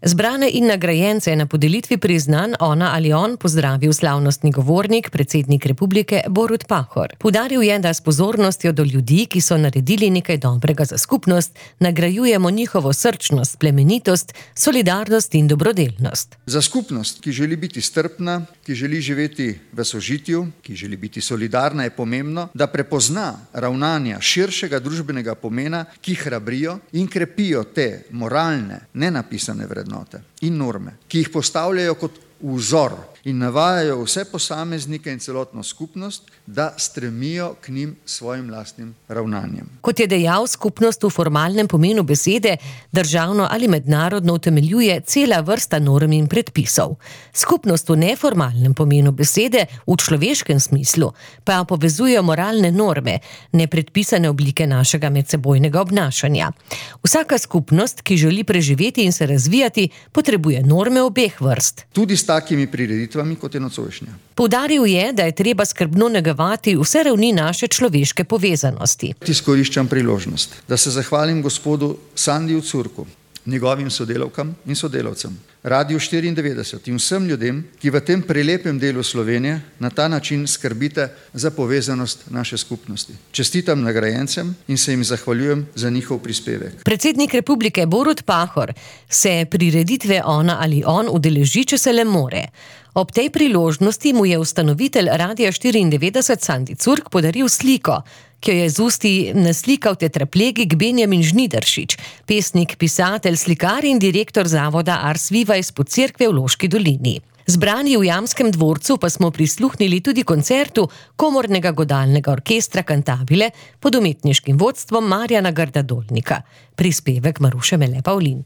Zbrane in nagrajence je na podelitvi priznanj Ona ali on pozdravil slavnostni govornik, predsednik republike Borut Pahor. Poudaril je, da s pozornostjo do ljudi, ki so naredili nekaj dobrega za skupnost, nagrajujemo njihovo srčnost, plemenitost, solidarnost in dobrodelnost. Za skupnost, ki želi biti strpna, ki želi živeti v sožitju, ki želi biti solidarna, je pomembno, da prepozna ravnanja širšega družbenega pomena, ki hrabrijo in krepijo te moralne, nenapisane vrednote in norme, ki jih postavljajo kot vzor in navajajo vse posameznike in celotno skupnost, da stremijo k njim svojim lastnim ravnanjem. Kot je dejal, skupnost v formalnem pomenu besede državno ali mednarodno utemeljuje cela vrsta norm in predpisov. Skupnost v neformalnem pomenu besede, v človeškem smislu, pa povezuje moralne norme, nepredpisane oblike našega medsebojnega obnašanja. Vsaka skupnost, ki želi preživeti in se razvijati, potrebuje norme obeh vrst. Tudi s takimi prireditvami, kot je nocojšnja. Poudaril je, da je treba skrbno negovati vse ravni naše človeške povezanosti. Izkoriščam priložnost, da se zahvalim gospodu Sandiju Curku, njegovim sodelavkam in sodelavcem, Radiu 94 in vsem ljudem, ki v tem prelepem delu Slovenije na ta način skrbite za povezanost naše skupnosti. Čestitam nagrajencem in se jim zahvaljujem za njihov prispevek. Predsednik republike Borut Pahor se prireditve Ona ali on udeleži, če se le more. Ob tej priložnosti mu je ustanovitelj Radia 94 Sandi Curk podaril sliko, ki jo je z usti naslikal tetraplegik Benjamin Žnidaršič, pesnik, pisatelj, slikar in direktor zavoda Ars Viva iz Podcerkve v Loški dolini. Zbrani v Jamskem dvorcu pa smo prisluhnili tudi koncertu komornega godalnega orkestra Cantabile pod umetniškim vodstvom Marjana Grda Dolnika. Prispevek Maruše Mele Pavlin.